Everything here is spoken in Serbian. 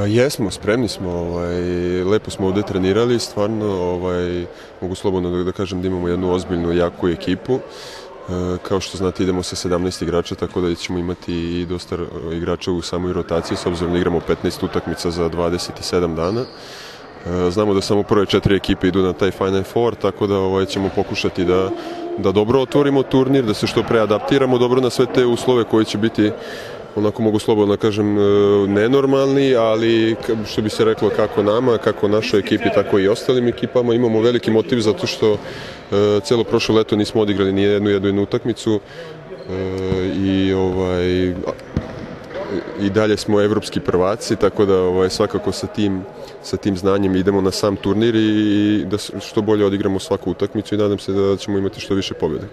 Jesmo, spremni smo, lepo smo ovdje trenirali, stvarno, mogu slobodno da kažem da imamo jednu ozbiljnu, jaku ekipu. Kao što znate, idemo sa 17 igrača, tako da ćemo imati i dosta igrača u samoj rotaciji, s obzirom da igramo 15 utakmica za 27 dana. Znamo da samo prve 4 ekipe idu na taj Final Four, tako da ćemo pokušati da dobro otvorimo turnir, da se što pre adaptiramo dobro na sve te uslove koji će biti, onako mogu slobodno kažem, nenormalni, ali što bi se reklo kako nama, kako našoj ekipi, tako i ostalim ekipama. Imamo veliki motiv zato što celo prošlo leto nismo odigrali ni jednu utakmicu i dalje smo evropski prvaci, tako da svakako sa tim znanjem idemo na sam turnir i da što bolje odigramo svaku utakmicu i nadam se da ćemo imati što više pobjede.